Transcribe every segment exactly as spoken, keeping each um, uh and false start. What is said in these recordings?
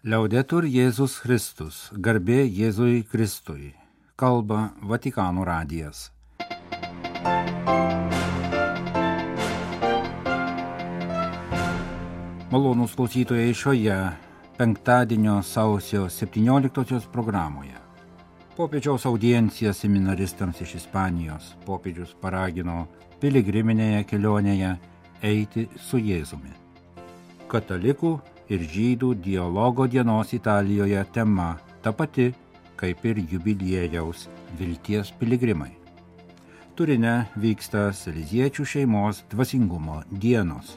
Liaudetur Jėzus Kristus, garbė Jėzui Kristui, kalba Vatikano radijas. Malonūs klausytojai šioje penktadienio sausio septynioliktosios programoje. Popiežiaus audienciją seminaristams iš Ispanijos popiežius paragino piligriminėje kelionėje eiti su Jėzumi. Katalikų ir žydų dialogo dienos Italijoje tema ta pati, kaip ir jubiliejaus vilties piligrimai. Turine vyksta Saleziečių šeimos dvasingumo dienos.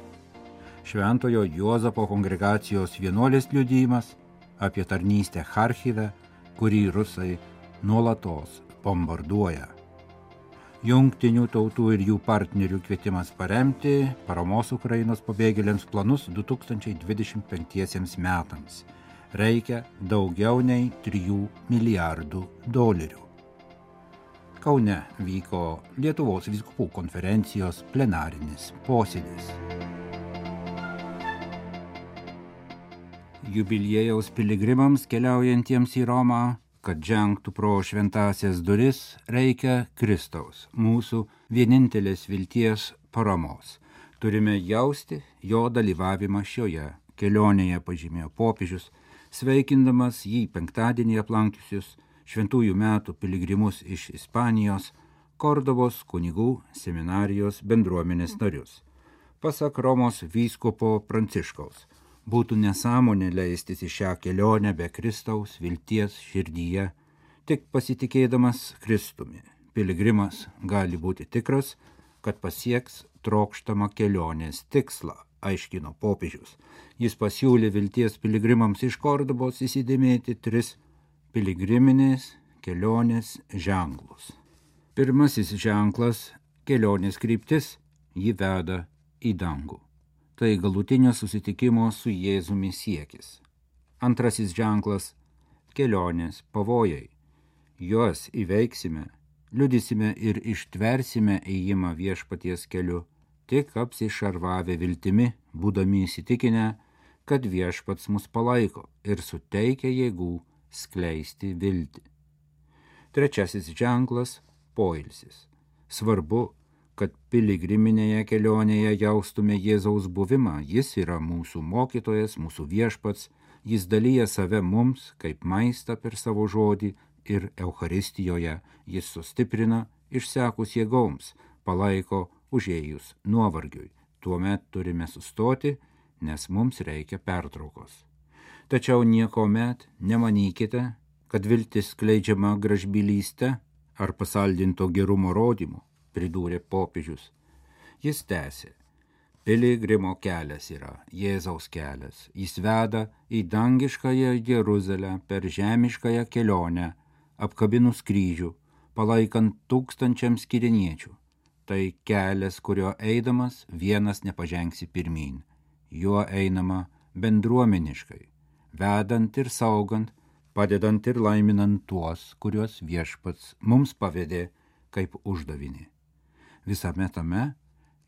Šventojo Juozapo kongregacijos vienuolės liudijimas apie tarnystę Charkive, kurį rusai nuolatos bombarduoja. Jungtinių tautų ir jų partnerių kvietimas paremti paramos Ukrainos pabėgėliams planus du tūkstančiai dvidešimt penktiesiems metams. Reikia daugiau nei trijų milijardų dolerių. Kaune vyko Lietuvos vyskupų konferencijos plenarinis posėdis. Jubiliejaus piligrimams keliaujantiems į Romą, kad žengtų pro šventąsias duris, reikia Kristaus, mūsų vienintelės vilties paramos. Turime jausti jo dalyvavimą šioje kelionėje, pažymėjo popiežius, sveikindamas jį penktadienį aplankiusius šventųjų metų piligrimus iš Ispanijos, Kordobos kunigų seminarijos bendruomenės narius. Pasak Romos vyskupo Pranciškaus, būtų nesąmonė leistis į šią kelionę be Kristaus vilties širdyje, tik pasitikėdamas Kristumi. Piligrimas gali būti tikras, kad pasieks trokštamą kelionės tikslą, aiškino popiežius. Jis pasiūlė vilties piligrimams iš Kordobos įsidėmėti tris piligriminės kelionės ženklus. Pirmasis ženklas – kelionės kryptis, jį veda į dangų. Tai galutinio susitikimo su Jėzumi siekis. Antrasis ženklas – kelionės pavojai. Juos įveiksime, liudysime ir ištversime ėjimą viešpaties keliu, tik apsišarvavę viltimi, būdami įsitikinę, kad viešpats mus palaiko ir suteikia jėgų skleisti viltį. Trečiasis ženklas – poilsis. Svarbu, kad piligriminėje kelionėje jaustume Jėzaus buvimą. Jis yra mūsų mokytojas, mūsų viešpats, jis dalyja save mums kaip maistą per savo žodį ir Eucharistijoje jis sustiprina išsekus jėgoms, palaiko užėjus nuovargiui. Tuomet turime sustoti, nes mums reikia pertraukos. Tačiau niekuomet nemanykite, kad viltis skleidžiama gražbylyste ar pasaldinto gerumo rodymu, pridūrė popiežius. Jis tęsė. Piligrimo kelias yra Jėzaus kelias. Jis veda į dangiškąją Jeruzalę per žemiškąją kelionę, apkabinus kryžių, palaikant tūkstančiams kiriniečių. Tai kelias, kurio eidamas vienas nepažengsi pirmyn. Juo einama bendruomeniškai, vedant ir saugant, padedant ir laiminant tuos, kuriuos viešpats mums pavedė kaip uždavinį. Visame tame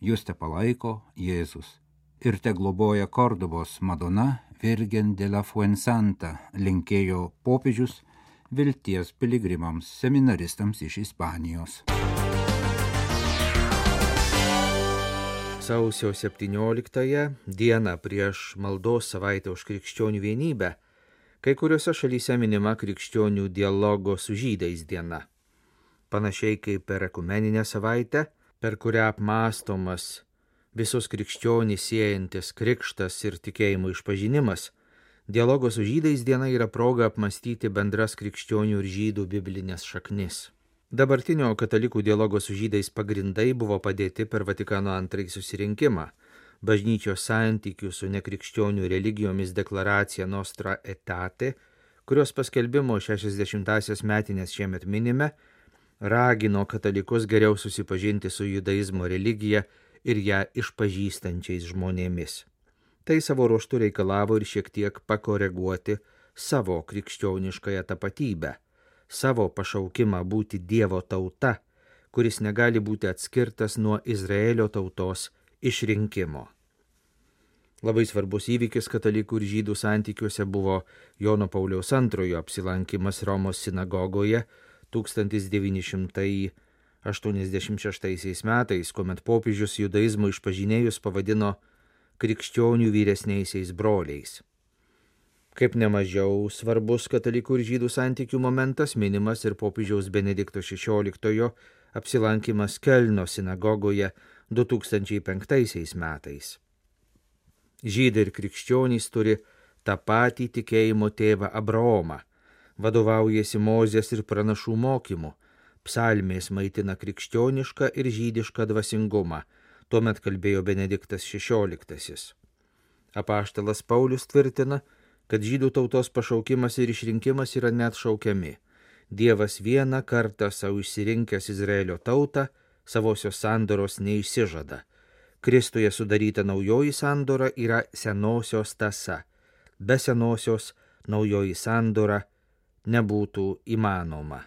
jūs te palaiko Jėzus ir te globoja Kordobos Madona Virgen de la Fuensanta, linkėjo popiežius vilties piligrimams seminaristams iš Ispanijos. Sausio septynioliktąją dieną prieš maldos savaitę už krikščionių vienybę, kai kuriuose šalyse minima krikščionių dialogo su žydais diena. Panašiai kaip per ekumeninę savaitę, per kurią apmąstomas visus krikščionys siejantis krikštas ir tikėjimo išpažinimas, dialogo su žydais diena yra proga apmąstyti bendras krikščionių ir žydų biblinės šaknis. Dabartinio katalikų dialogo su žydais pagrindai buvo padėti per Vatikano antrąjį susirinkimą, bažnyčios santykių su nekrikščionių religijomis deklaracija Nostra Aetate, kurios paskelbimo šešiasdešimtąsias metinės šiemet minime, ragino katalikus geriau susipažinti su judaizmo religija ir ją išpažįstančiais žmonėmis. Tai savo ruožtu reikalavo ir šiek tiek pakoreguoti savo krikščioniškąją tapatybę, savo pašaukimą būti Dievo tauta, kuris negali būti atskirtas nuo Izraelio tautos išrinkimo. Labai svarbus įvykis katalikų ir žydų santykiuose buvo Jono Pauliaus antrojo apsilankimas Romos sinagogoje tūkstantis devyni šimtai aštuoniasdešimt šeštaisiais metais, kuomet popiežius judaizmo išpažinėjus pavadino krikščionių vyresniaisiais broliais. Kaip nemažiau svarbus katalikų ir žydų santykių momentas minimas ir popiežiaus Benedikto šešioliktojo apsilankimas Kelno sinagogoje du tūkstančiai penktaisiais metais. Žydai ir krikščionys turi tą patį tikėjimo tėvą Abraomą, vadovaujasi Mozės ir pranašų mokymu, psalmės maitina krikščionišką ir žydišką dvasingumą, tuomet kalbėjo Benediktas šešioliktasis. Apaštalas Paulius tvirtina, kad žydų tautos pašaukimas ir išrinkimas yra net šaukiami. Dievas vieną kartą savo išsirinkęs Izraelio tautą, savosios sandoros neišsižada. Kristuje sudaryta naujoji sandora yra senosios tąsa. Be senosios naujoji sandora nebūtų įmanoma.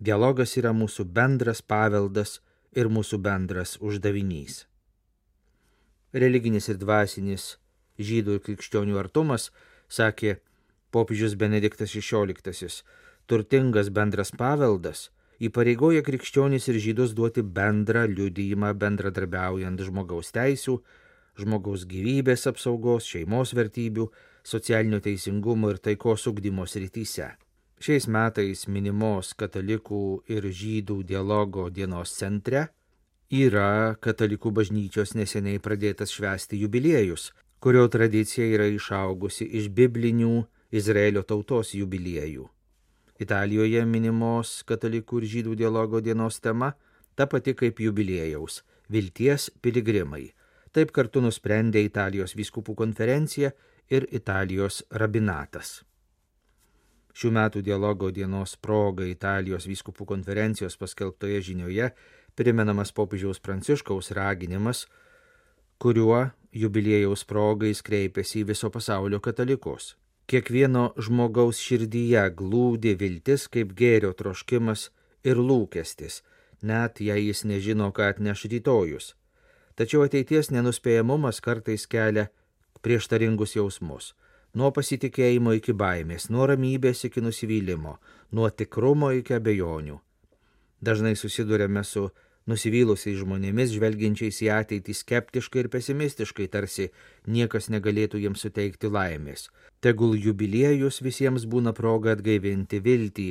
Dialogas yra mūsų bendras paveldas ir mūsų bendras uždavinys. Religinis ir dvasinis žydų ir krikščionių artumas, sakė popiežius Benediktas šešioliktasis, turtingas bendras paveldas įpareigoja krikščionis ir žydus duoti bendrą liudijimą bendradarbiaujant žmogaus teisių, žmogaus gyvybės apsaugos, šeimos vertybių, socialinio teisingumo ir taikos ugdymo srityse. Šiais metais minimos katalikų ir žydų dialogo dienos centre yra katalikų bažnyčios neseniai pradėtas švęsti jubiliejus, kurio tradicija yra išaugusi iš biblinių Izraelio tautos jubiliejų. Italijoje minimos katalikų ir žydų dialogo dienos tema ta pati kaip jubiliejaus – vilties piligrimai. Taip kartu nusprendė Italijos vyskupų konferencija ir Italijos rabinatas. Šių metų dialogo dienos proga Italijos vyskupų konferencijos paskelbtoje žinioje primenamas popiežiaus Pranciškaus raginimas, kuriuo jubiliejaus progais kreipėsi į viso pasaulio katalikus. Kiekvieno žmogaus širdyje glūdi viltis kaip gėrio troškimas ir lūkestis, net jei jis nežino, ką atneš rytojus. Tačiau ateities nenuspėjamumas kartais kelia prieštaringus jausmus. Nuo pasitikėjimo iki baimės, nuo ramybės iki nusivylimo, nuo tikrumo iki abejonių. Dažnai susidurėme su nusivylusiais žmonėmis, žvelgiančiais į ateitį skeptiškai ir pesimistiškai, tarsi niekas negalėtų jiems suteikti laimės. Tegul jubiliejus visiems būna proga atgaivinti viltį,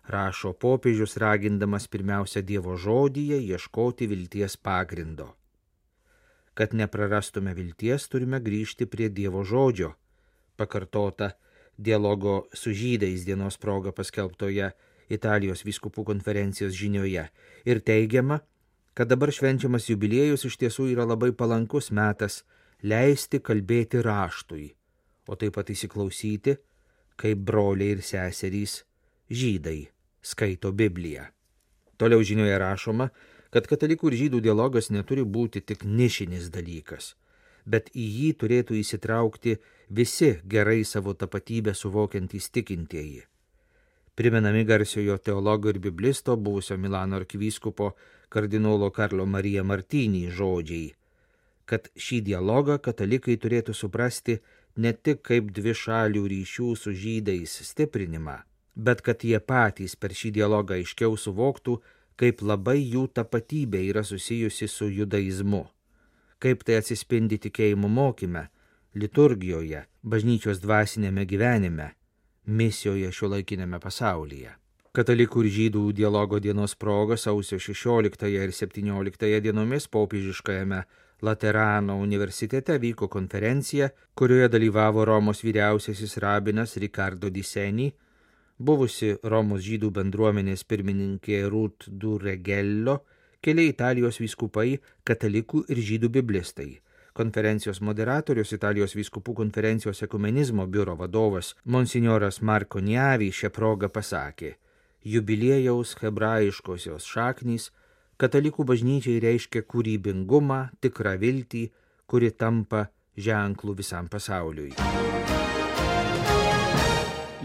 rašo popiežius, ragindamas pirmiausia Dievo žodyje ieškoti vilties pagrindo. Kad neprarastume vilties, turime grįžti prie Dievo žodžio, pakartota dialogo su žydais dienos proga paskelbtoje Italijos vyskupų konferencijos žinioje ir teigiama, kad dabar švenčiamas jubiliejus iš tiesų yra labai palankus metas leisti kalbėti raštui, o taip pat įsiklausyti, kaip broliai ir seserys žydai skaito Bibliją. Toliau žinioje rašoma, kad katalikų ir žydų dialogas neturi būti tik nišinis dalykas, bet į jį turėtų įsitraukti visi gerai savo tapatybę suvokiantys tikintieji. Primenami garsiojo teologo ir biblisto, buvusio Milano arkivyskupo kardinolo Karlo Marija Martinį žodžiai, kad šį dialogą katalikai turėtų suprasti ne tik kaip dvi šalių ryšių su žydais stiprinimą, bet kad jie patys per šį dialogą aiškiau suvoktų, kaip labai jų tapatybė yra susijusi su judaizmu, kaip tai atsispindi tikėjimo mokyme, liturgijoje, bažnyčios dvasinėme gyvenime, misijoje šiuolaikinėme pasaulyje. Katalikų ir žydų dialogo dienos proga sausio šešioliktąją ir septynioliktąją dienomis popiežiškajame Laterano universitete vyko konferencija, kurioje dalyvavo Romos vyriausiasis rabinas Ricardo Di Seni, buvusi Romos žydų bendruomenės pirmininkė Ruth Duregello, keli Italijos vyskupai, katalikų ir žydų biblistai. Konferencijos moderatorius Italijos vyskupų konferencijos ekumenizmo biuro vadovas monsinjoras Marko Niavi šią progą pasakė: jubiliejaus hebrajiškosios šaknys katalikų bažnyčiai reiškia kūrybingumą, tikrą viltį, kuri tampa ženklų visam pasauliui.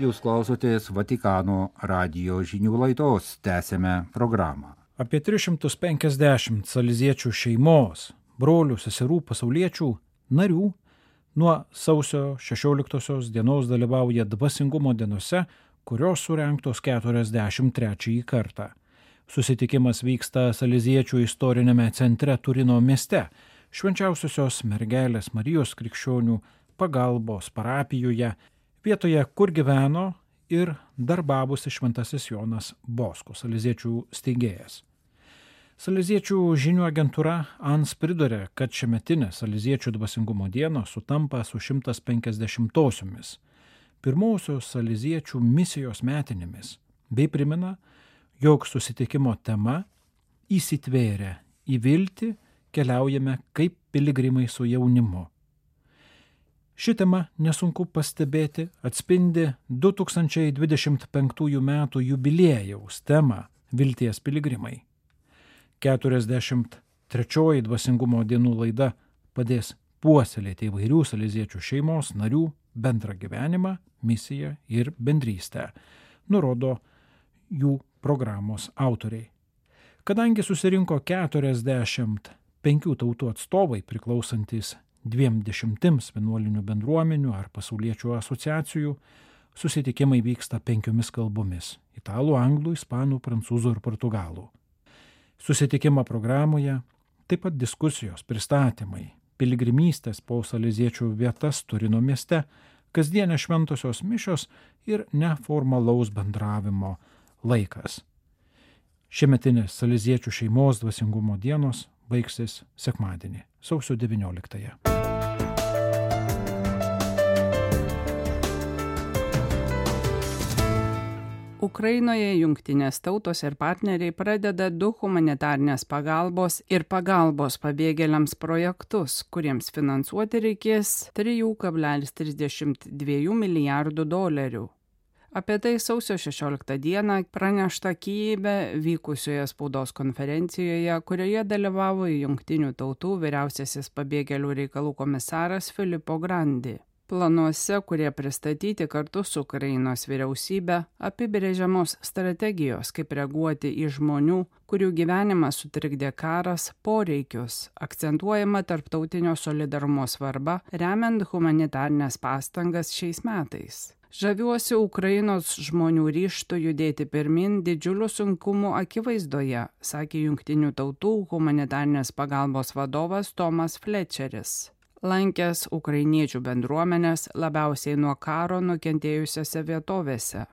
Jūs klausotės Vatikano radijo žinių laidos, tęsėme programą. Apie tris šimtus penkiasdešimt saleziečių šeimos, brolių, seserų, pasauliečių, narių Nuo sausio šešioliktosios dienos dalyvauja dvasingumo dienose, kurios surengtos keturiasdešimt trečiąjį kartą. Susitikimas vyksta Saleziečių istorinėme centre Turino mieste, Švenčiausiosios mergelės Marijos krikščionių pagalbos parapijoje, vietoje, kur gyveno ir darbavosi šventasis Jonas Bosko, Saleziečių steigėjas. Saleziečių žinių agentūra A N S priduria, kad šiemetinė Saleziečių dvasingumo diena sutampa su šimtas penkiasdešimtosiomis pirmosios Saleziečių misijos metinėmis, bei primena, jog susitikimo tema įsitvėrė į viltį, keliaujame kaip piligrimai su jaunimu. Ši tema, nesunku pastebėti, atspindi du tūkstančiai dvidešimt penktųjų metų jubiliejaus temą Vilties piligrimai. keturiasdešimt trečioji dvasingumo dienų laida padės puoselėti įvairių saleziečių šeimos narių bendrą gyvenimą, misiją ir bendrystę, nurodo jų programos autoriai. Kadangi susirinko keturiasdešimt penkių tautų atstovai priklausantis dviem dešimtims vienuolinių bendruomenių ar pasauliečių asociacijų, susitikimai vyksta penkiomis kalbomis – italų, anglų, ispanų, prancūzų ir portugalų. Susitikimo programoje taip pat diskusijos, pristatymai, piligrimystės po saleziečių vietas Turino mieste, kasdienė šventosios mišios ir neformalaus bendravimo laikas. Šiemetinės saleziečių šeimos dvasingumo dienos baigsis sekmadienį, sausio devynioliktąją. Ukrainoje jungtinės tautos ir partneriai pradeda du humanitarnės pagalbos ir pagalbos pabėgėliams projektus, kuriems finansuoti reikės trys kablelis trisdešimt du milijardų dolerių. Apie tai sausio šešioliktą dieną pranešta Kyjive vykusioje spaudos konferencijoje, kurioje dalyvavo Jungtinių tautų vyriausiasis pabėgėlių reikalų komisaras Filippo Grandi. Planuose, kurie pristatyti kartu su Ukrainos vyriausybe, apibrėžiamos strategijos, kaip reaguoti į žmonių, kurių gyvenimą sutrikdė karas, poreikius, akcentuojama tarptautinio solidarumo svarba, remiant humanitarines pastangas šiais metais. Žaviuosi Ukrainos žmonių ryžtu judėti pirmin didžiulių sunkumų akivaizdoje, sakė Jungtinių tautų humanitarnės pagalbos vadovas Tomas Fletcheris, lankęs ukrainiečių bendruomenės labiausiai nuo karo nukentėjusiose vietovėse.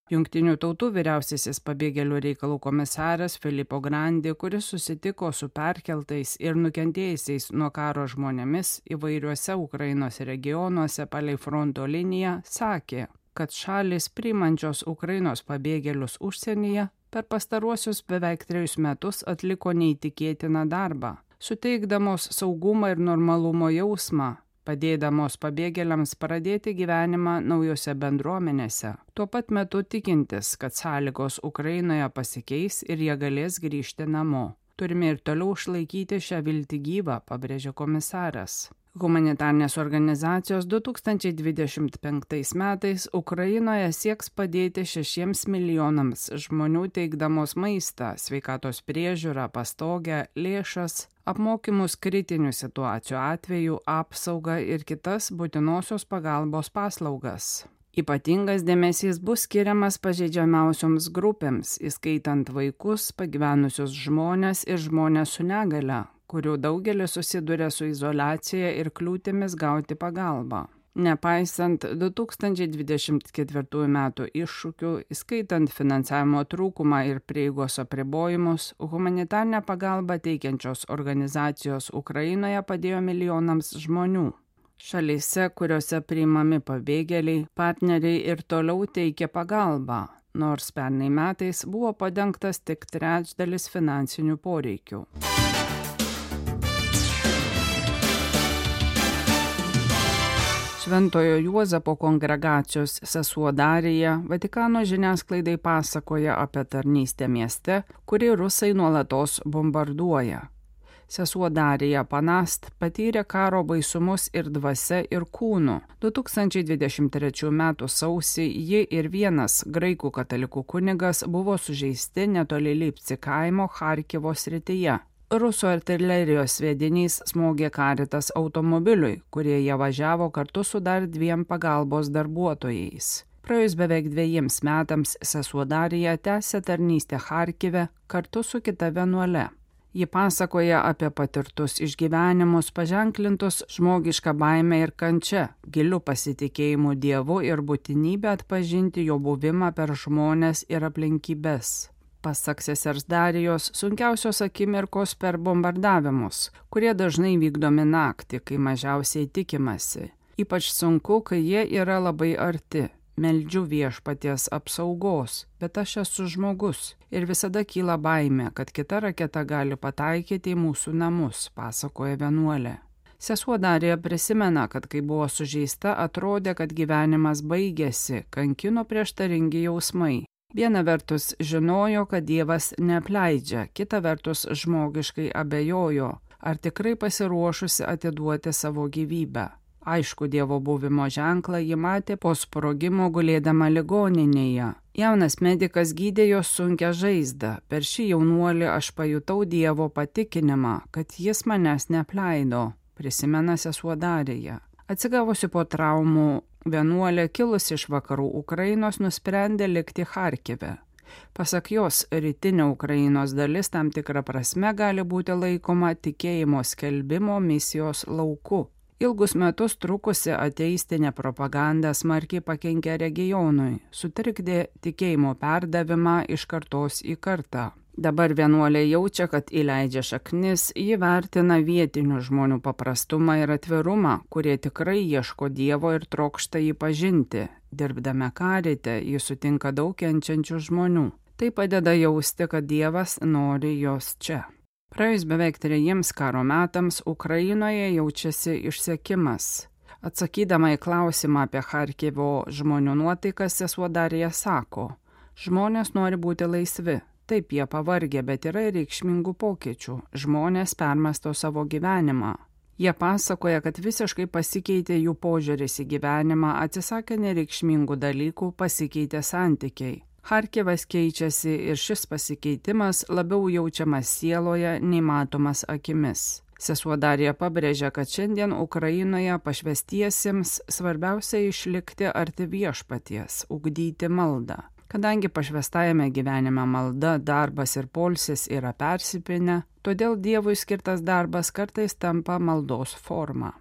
Jungtinių tautų vyriausiasis pabėgėlių reikalų komisaras Filippo Grandi, kuris susitiko su perkeltais ir nukentėjusiais nuo karo žmonėmis įvairiuose Ukrainos regionuose palei fronto liniją, sakė, kad šalis priimančios Ukrainos pabėgėlius užsienyje per pastaruosius beveik trejus metus atliko neįtikėtiną darbą, suteikdamos saugumą ir normalumo jausmą, padėdamos pabėgėliams pradėti gyvenimą naujose bendruomenėse, tuo pat metu tikintis, kad sąlygos Ukrainoje pasikeis ir jie galės grįžti namo. Turime ir toliau išlaikyti šią viltį gyvą, pabrėžė komisaras. Humanitarnės organizacijos du tūkstančiai dvidešimt penktais metais Ukrainoje sieks padėti šešiems milijonams žmonių teikdamos maistą, sveikatos priežiūrą, pastogę, lėšas, apmokymus kritinių situacijų atveju, apsaugą ir kitas būtinosios pagalbos paslaugas. Ypatingas dėmesys bus skiriamas pažeidžiamiausioms grupėms, įskaitant vaikus, pagyvenusius žmones ir žmonės su negale, kurių daugelis susiduria su izoliacija ir kliūtimis gauti pagalbą. Nepaisant du tūkstančiai dvidešimt ketvirtųjų metų iššūkių, įskaitant finansavimo trūkumą ir prieigos apribojimus, humanitarinę pagalbą teikiančios organizacijos Ukrainoje padėjo milijonams žmonių. Šalyse, kuriuose priimami pabėgėliai, partneriai ir toliau teikia pagalbą, nors pernai metais buvo padengtas tik trečdalis finansinių poreikių. Šventojo Juozapo kongregacijos sesuo Darija Vatikano žiniasklaidai pasakoja apie tarnystę mieste, kurį rusai nuolatos bombarduoja. Sesuo Darija Panast patyrė karo baisumus ir dvasia, ir kūnu. du tūkstančiai dvidešimt trečių metų sausį ji ir vienas graikų katalikų kunigas buvo sužeisti netoli Lipci kaimo Charkivo srityje. rusų artilerijos sviedinys smogė Caritas automobiliui, kurie jie važiavo kartu su dar dviem pagalbos darbuotojais. Praėjus beveik dviejiems metams sesuo Darija tęsė tarnystę Charkive kartu su kita vienuole. Ji pasakoja apie patirtus išgyvenimus, paženklintus žmogišką baimę ir kančią, giliu pasitikėjimu Dievu ir būtinybę atpažinti jo buvimą per žmones ir aplinkybes. Pasak sesers Darijos, sunkiausios akimirkos per bombardavimus, kurie dažnai vykdomi naktį, kai mažiausiai tikimasi. Ypač sunku, kai jie yra labai arti. Meldžiu viešpaties apsaugos, bet aš esu žmogus ir visada kyla baimė, kad kita raketa gali pataikyti į mūsų namus, pasakoja vienuolė. Sesuo Darija prisimena, kad kai buvo sužeista, atrodė, kad gyvenimas baigėsi, kankino prieštaringi jausmai. Viena vertus žinojo, kad Dievas neapleidžia, kita vertus žmogiškai abejojo, ar tikrai pasiruošusi atiduoti savo gyvybę. Aišku, Dievo buvimo ženklą ji matė po sprogimo gulėdama ligoninėje. Jaunas medikas gydė jos sunkią žaizdą. Per šį jaunuolį aš pajutau Dievo patikinimą, kad jis manęs neapleido, prisimena sesuo Darija. Atsigavusi po traumų, vienuolė kilusi iš vakarų Ukrainos nusprendė likti Charkive. Pasak jos, rytinė Ukrainos dalis tam tikra prasme gali būti laikoma tikėjimo skelbimo misijos lauku. Ilgus metus trukusi ateistinė propaganda smarkiai pakenkė regionui, sutrikdė tikėjimo perdavimą iš kartos į kartą. Dabar vienuolė jaučia, kad įleidžia šaknis, ji vertina vietinių žmonių paprastumą ir atvirumą, kurie tikrai ieško Dievo ir trokšta jį pažinti. Dirbdama Carite, ji sutinka daug kenčiančių žmonių. Tai padeda jausti, kad Dievas nori jos čia. Praėjus beveik trejiems karo metams Ukrainoje jaučiasi išsekimas. Atsakydama į klausimą apie Charkivo žmonių nuotaikas, sesuo Darija sako, žmonės nori būti laisvi. Taip, jie pavargę, bet yra ir reikšmingų pokyčių. Žmonės permąsto savo gyvenimą. Jie pasakoja, kad visiškai pasikeitė jų požiūris į gyvenimą, atsisakė nereikšmingų dalykų, pasikeitė santykiai. Charkivas keičiasi ir šis pasikeitimas labiau jaučiamas sieloje, nei matomas akimis. Sesuo Darija pabrėžia, kad šiandien Ukrainoje pašvęstiesiems svarbiausia išlikti arti viešpaties, ugdyti maldą. Kadangi pašvęstajame gyvenime malda, darbas ir poilsis yra persipynę, todėl Dievui skirtas darbas kartais tampa maldos forma.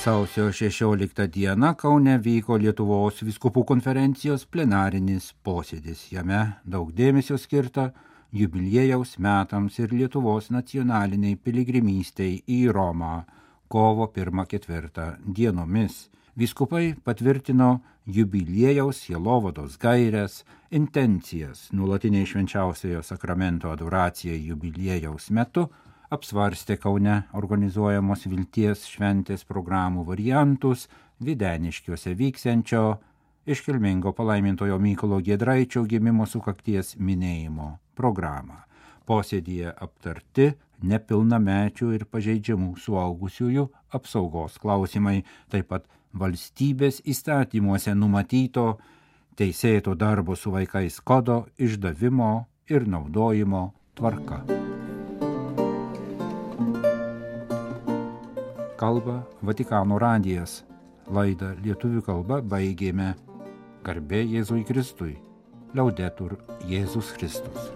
Sausio šešioliktą dieną Kaune vyko Lietuvos vyskupų konferencijos plenarinis posėdis. Jame daug dėmesio skirta jubiliejaus metams ir Lietuvos nacionaliniai piligrimystei į Romą kovo pirmą ketvirtą dienomis. Vyskupai patvirtino jubiliejaus sielovados gaires, intencijas nuolatiniai švenčiausiojo sakramento adoracijai jubiliejaus metu, apsvarstė Kaune organizuojamos vilties šventės programų variantus, Videniškiuose vyksiančio iškilmingo palaimintojo Mykolo Giedraičio gimimo sukakties minėjimo programą. Posėdyje aptarti nepilnamečių ir pažeidžiamų suaugusiųjų apsaugos klausimai, taip pat valstybės įstatymuose numatyto teisėto darbo su vaikais kodo išdavimo ir naudojimo tvarka. Kalba Vatikano radijas. Laidą lietuvių kalba baigėme. Garbė Jėzui Kristui. Laudetur Jėzus Kristus.